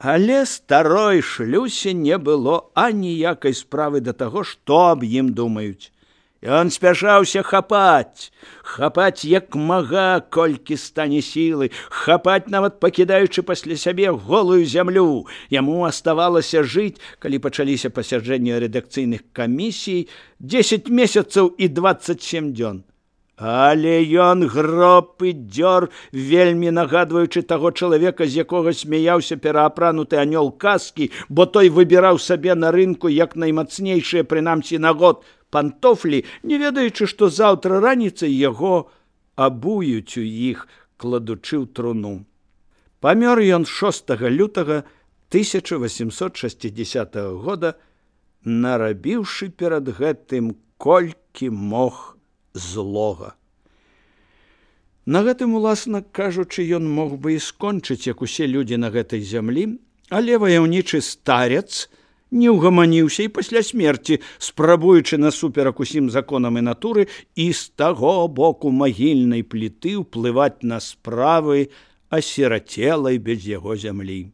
Але старой шлюсе не было аніякай справы да таго, што аб ім думаюць. Ён спяшаўся хапаць як мага, колькі стане сілы, хапаць нават пакідаючы пасля сябе голую зямлю. Яму аставалася жыць, калі пачаліся пасяджэнні рэдакцыйных камісій, 10 месяцаў і 27 дзён. Але ён гроб і дзёр, вельмі нагадваючы таго чалавека, з якога смяяўся пераапрануты анёл казкі, бо той выбіраў сабе на рынку як наймацнейшыя, прынамсі на год, пантофлі, не ведаючы, што заўтра раніцай яго абуюць у іх, кладучы ў труну. Памёр ён 6 лютага 1860 года, нарабіўшы перад гэтым колькі мог злога. На гэтым, уласна кажучы, ён мог бы і скончыць, як усе людзі на гэтай зямлі, але ваяўнічы старец не ўгаманіўся і пасля смерці, спрабуючы насуперак усім законам і натуры і з таго боку магільнай пліты ўплываць на справы асірацелай без яго зямлі.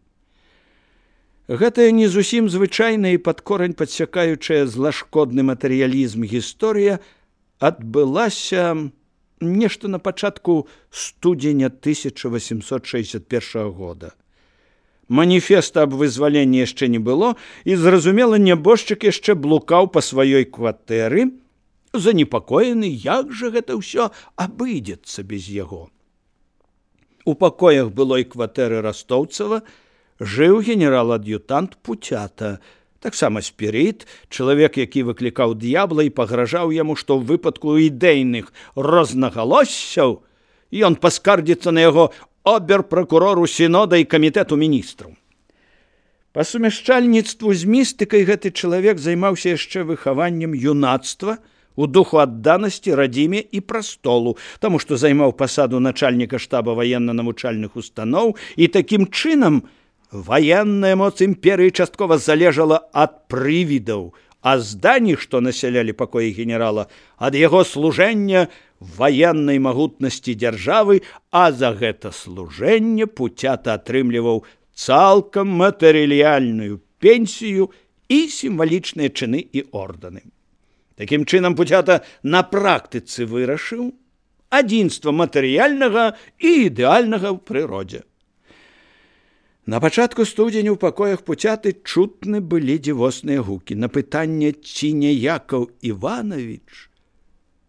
Гэтая не зусім звычайная і пад корань падсякаючая злашкодны матэрыялізм гісторыя адбылася нешта на пачатку студзеня 1861 года. Маніфеста аб вызваленні яшчэ не было, і, зразумела, нябожчык яшчэ блукаў па сваёй кватэры, занепакоены, як жа гэта ўсё абыдзецца без яго. У пакоях былой кватэры Растоўцава жыў генерал-ад'ютант Пуцята, таксама спірыт, чалавек, які выклікаў д'ябла і пагражаў яму, што ў выпадку ідэйных рознагалоссяў ён паскардзіцца на яго обер-пракурору сінода і камітэту міністраў. Па сумяшчальніцтву з містыкай гэты чалавек займаўся яшчэ выхаваннем юнацтва у духу адданасці радзіме і прастолу, таму што займаў пасаду начальніка штаба ваенна-навучальных устаноў, і такім чынам ваенная моц імперыі часткова залежала ад прывідаў, а здані, што насялялі пакоі генерала, ад яго служэння ваеннай магутнасці дзяржавы, а за гэта служэнне Пуцята атрымліваў цалкам матэрыяльную пенсію і сімвалічныя чыны і ордэны. Такім чынам Пуцята на практыцы вырашыў адзінства матэрыяльнага і ідэальнага ў прыродзе. На пачатку студзеня ў пакоях Пуцяты чутны былі дзівосныя гукі. На пытанне, ці не Якаў Іванович,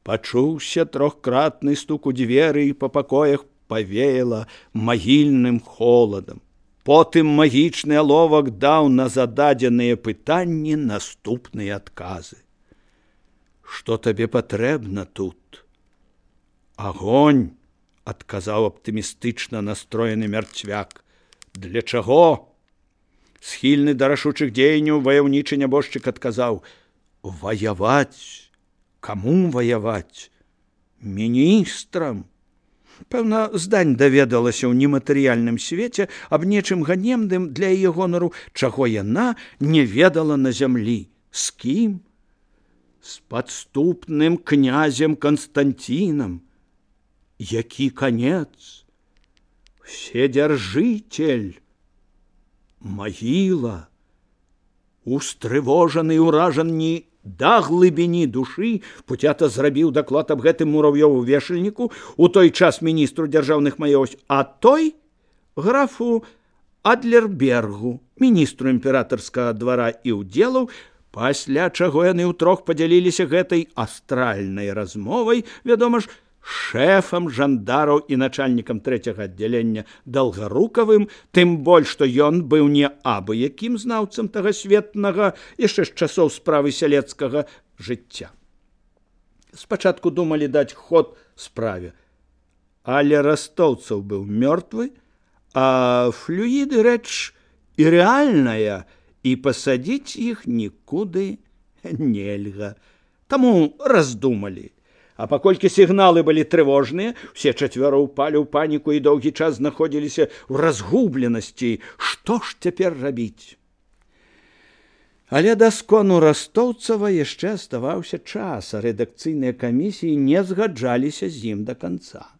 пачуўся трохкратны стук у дзверы, і па пакоях павеяла магільным холадам. Потым магічны аловак даў на зададзеныя пытанні наступныя адказы. «Што табе патрэбна тут?» «Агонь», – адказаў аптымістычна настроены мярцвяк. «Для чаго?» Схільны да рашучых дзеянняў ваяўнічы нябожчык адказаў: «Ваяваць. Каму ваяваць? Міністрам». Пэўна, здань даведалася ў нематэрыяльным свеце аб нечым ганебным для яе гонару, чаго яна не ведала на зямлі. З кім? З падступным князем Канстантінам. Які канец? Вседзяржыцель, магіла. Устрывожаны і ўражаны да глыбіні душы, Пуцята зрабіў даклад аб гэтым мурав'ёву вешальніку, у той час міністру дзяржаўных маёмасцяў, а той графу Адлербергу, міністру імператарскага двара і ўдзелаў, пасля чаго яны ўтрох падзяліліся гэтай астральнай размовай, вядома ж, шэфам жандараў і начальнікам 3-го аддзялення Далгарукавым, тым больш, што ён быў не абы якім знаўцам тагасветнага яшчэ з часоў справы сялецкага жыцця. Спачатку думалі даць ход справе, але Растоўцаў быў мёртвы, а флюіды рэч і рэальная, і пасадзіць іх нікуды нельга. Таму раздумалі. А паколькі сігналы былі трывожныя, усе чацвёра ўпалі ў паніку і доўгі час знаходзіліся ў разгубленасці. Што ж цяпер рабіць? Але да скону Растоўцава яшчэ аставаўся час, а рэдакцыйныя камісіі не згаджаліся з ім да канца.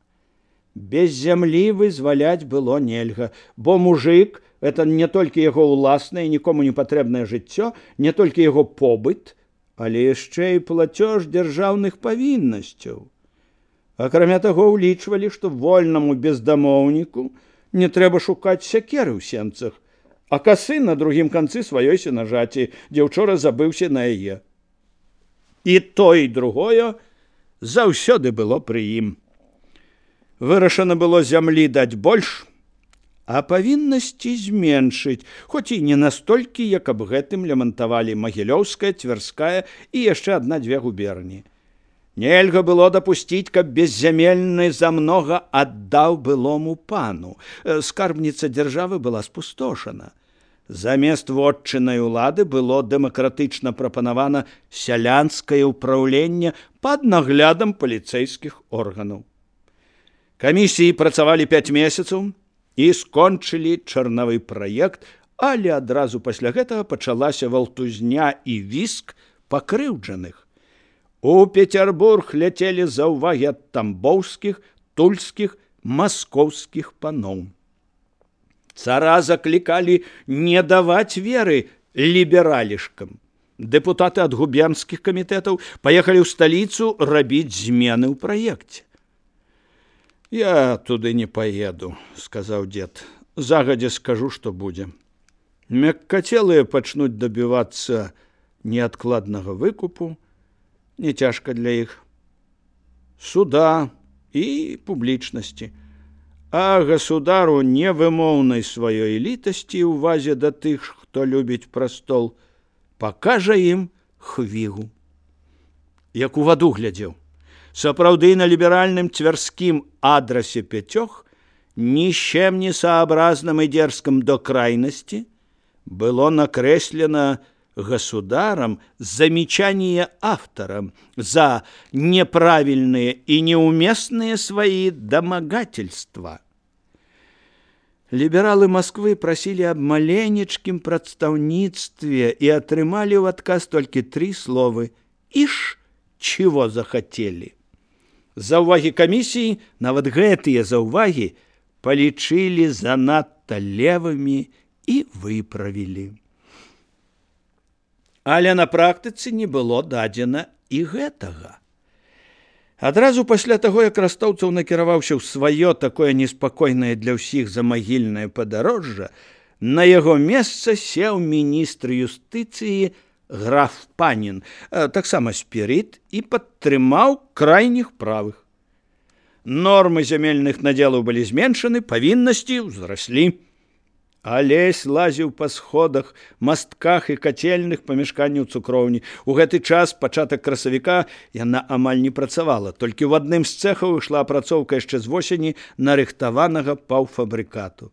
Без зямлі вызваляць было нельга, бо мужык Это не толькі яго ўласнае, нікому не патрэбнае жыццё, не толькі яго побыт, але яшчэ і плацёж дзяржаўных павіннасцяў. Акрамя таго, улічвалі, што вольнаму бездамоўніку не трэба шукаць сякеры ў сенцах, а касы на другім канцы сваёй сенажаці, дзе ўчора забыўся на яе. І тое, і другое заўсёды было пры ім. Вырашана было зямлі даць больш, а павіннасці зменшыць, хоць і не настолькі, як аб гэтым лямантавалі Магілёўская, Цверская і яшчэ адна-дзве губерні. Нельга было дапусціць, каб беззямельны замнога аддаў былому пану. Скарбніца дзяржавы была спустошана. Замест вотчыннай улады было дэмакратычна прапанавана сялянскае ўпраўленне пад наглядам паліцэйскіх органаў. Камісіі працавалі 5 месяцаў і скончылі чарнавы праект, але адразу пасля гэтага пачалася валтузня і віск пакрыўджаных. У Петербург ляцелі заўвагі ад тамбоўскіх, тульскіх, маскоўскіх паноў. Цара заклікалі не даваць веры лібералішкам. Дэпутаты ад губернскіх камітэтаў паехалі ў сталіцу рабіць змены ў праекце. «Я туды не поеду», — сказаў дзед. «Загадзя скажу, што будзе. Мяккацелыя пачнуць дабівацца неадкладнага выкупу, не цяжка для іх, суда і публічнасці, а государу невымоўнай сваёй літасці ў увазе да тых, хто любіць прастол, пакажа ім хвігу». Як у ваду глядзеў. Сапраўды на ліберальным цвярскім адрасе 5 ни с чем не сообразным и дерзким до крайности было накреслено государом замечание авторам за неправильные и неуместные свои домогательства. Либералы Москвы просили об маленечким прадстаўніцтве и атрымалі в отказ только 3 слова «Ишь, чего захотели». Заўвагі камісіі, нават гэтыя заўвагі, палічылі занадта левымі і выправілі. Але на практыцы не было дадзена і гэтага. Адразу пасля таго, як Растоўцаў накіраваўся ў сваё такое неспакойнае для ўсіх замагільнае падарожжа, на яго месца сеў міністр юстыцыі граф Панін, таксама спірит, і падтрымаў крайніх правых. Нормы зямельных надзелаў былі зменшаны, павіннасці ўзраслі. Алесь лазіў па сходах, мастках і кацельных памяшканняў цукроўні. У гэты час, пачатак красавіка, яна амаль не працавала. Толькі ў адным з цэхаў ішла апрацоўка яшчэ з восені нарыхтаванага паўфабрыкату.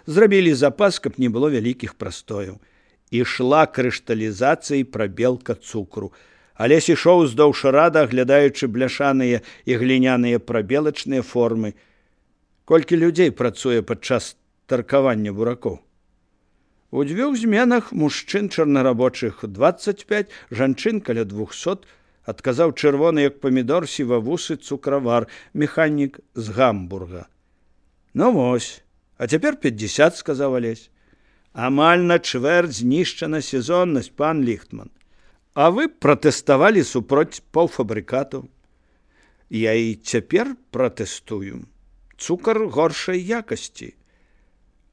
Зрабілі запас, каб не было вялікіх прастояў. Ішла крышталізацыя і прабелка цукру. Алесь ішоў уздоўж рада, аглядаючы бляшаныя і гліняныя прабелачныя формы. Колькі людзей працуе падчас таркавання буракоў? У 2 зменах мужчын чорнарабочых 25, жанчын каля 200, адказаў чырвоны, як памідор, сівавусы цукравар, механік з Гамбурга. Ну вось, а цяпер 50, сказаў Алесь. Амаль на чвэрць знішчана сезоннасць, пан Ліхтман. А вы пратэставалі супроць паўфабрыкатаў. Я і цяпер пратэстую. Цукар горшай якасці.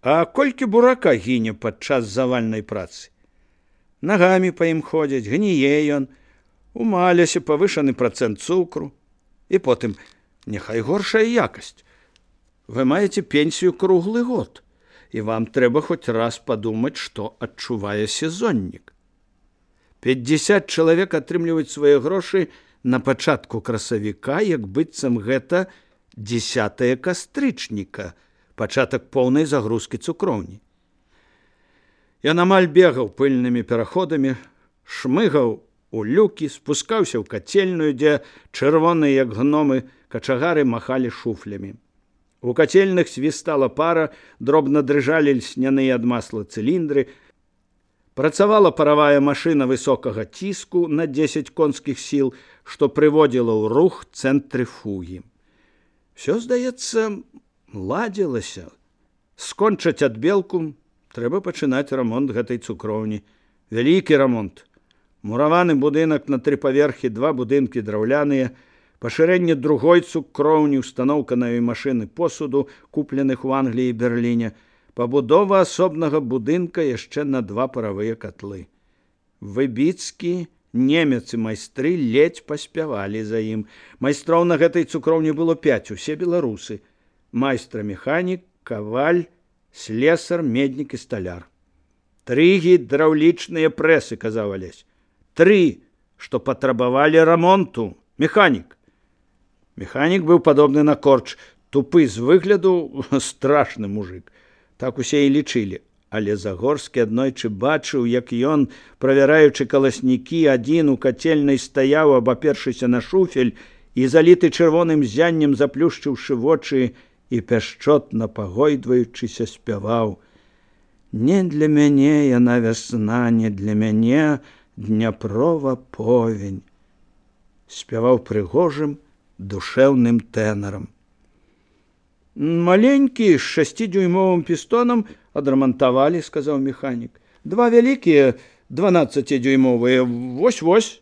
А колькі бурака гіне падчас завальнай працы? Нагамі па ім ходзяць, гніе ён, у малясе павышаны працэнт цукру. І потым, няхай горшая якасць. Вы маеце пенсію круглы год. І вам трэба хоць раз падумаць, што адчувае сезоннік. 50 чалавек атрымліваюць свае грошы на пачатку красавіка, як быццам гэта 10 кастрычніка, пачатак поўнай загрузкі цукроўні. Ён амаль бегаў пыльнымі пераходамі, шмыгаў у люкі, спускаўся ў кацельную, дзе чырвоныя, як гномы, качагары махалі шуфлямі. У кацельных свістала пара, дробна дрыжалі льсняныя ад масла цыліндры. Працавала паравая машына высокага ціску на 10 конскіх сіл, што прыводзіла ў рух цэнтрыфугі. Всё, здаецца, ладзілася. Скончаць адбелку, Трэба пачынаць рамонт гэтай цукроўні. Вялікі рамонт. Мураваны будынак на 3 паверхі, 2 будынкі драўляныя, пашырэнне другой цукроўні, устаноўка новай машыны посуду, купленых у Англіі і Берліне, пабудова асобнага будынка яшчэ на 2 паравыя катлы. Выбіцкі, немец і майстры ледзь паспявалі за ім. Майстроў на гэтай цукроўні было 5, усе беларусы. Майстра-механік, каваль, слесар, меднік і сталяр. 3 гідраўлічныя прэсы, казаў Алесь. 3, што патрабавалі рамонту. Механік. Механік быў падобны на корч, тупы з выгляду, страшны мужик. Так усе і лічылі. Але Загорскі аднойчы бачыў, як ён, правяраючы каласнікі, адзін у кацельнай стаяў, абапершыся на шуфель і заліты чырвоным зяннем, заплюшчыўшы вочы і пяшчотна пагойдваючыся спяваў: «Не для мяне яна вясна, не для мяне Дняпрова повень». Спяваў прыгожым, душэўным тэнарам. «Маленькі з 6-дюймовым пістонам адрамантавалі», – сказаў механік. «2 вялікія, 12-дюймовыя, вось-вось».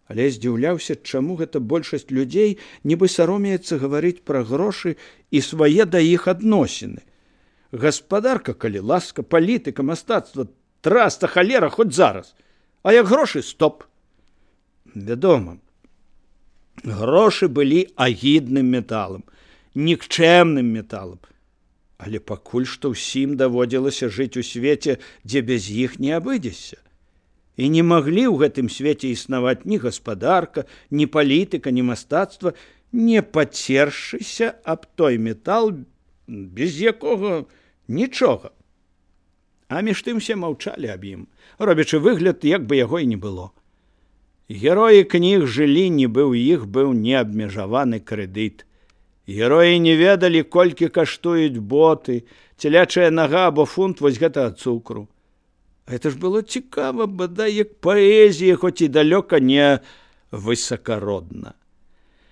Але здзіўляўся, чаму гэта большасць людзей нібы саромеецца гаварыць пра грошы і свае да іх адносіны. Гаспадарка, калі ласка, палітыка, мастацтва, траста, халера, хоць зараз. А як грошы, стоп. Вядома, грошы былі агідным металам, нікчэмным металам. Але пакуль што ўсім даводзілася жыць у свеце, дзе без іх не абыдзешся. І не маглі ў гэтым свеце існаваць ні гаспадарка, ні палітыка, ні мастацтва, не пацершыся аб той метал, без якога нічога. А між тым все маўчалі аб ім, робячы выгляд, як бы яго і не было. Героі кніг жылі, нібы ў іх быў неабмежаваны крэдыт. Героі не ведалі, колькі каштуюць боты, целячая нага або фунт вось гэтага цукру. Гэта ж было цікава, бадай, як паэзія, хоць і далёка не высакародна.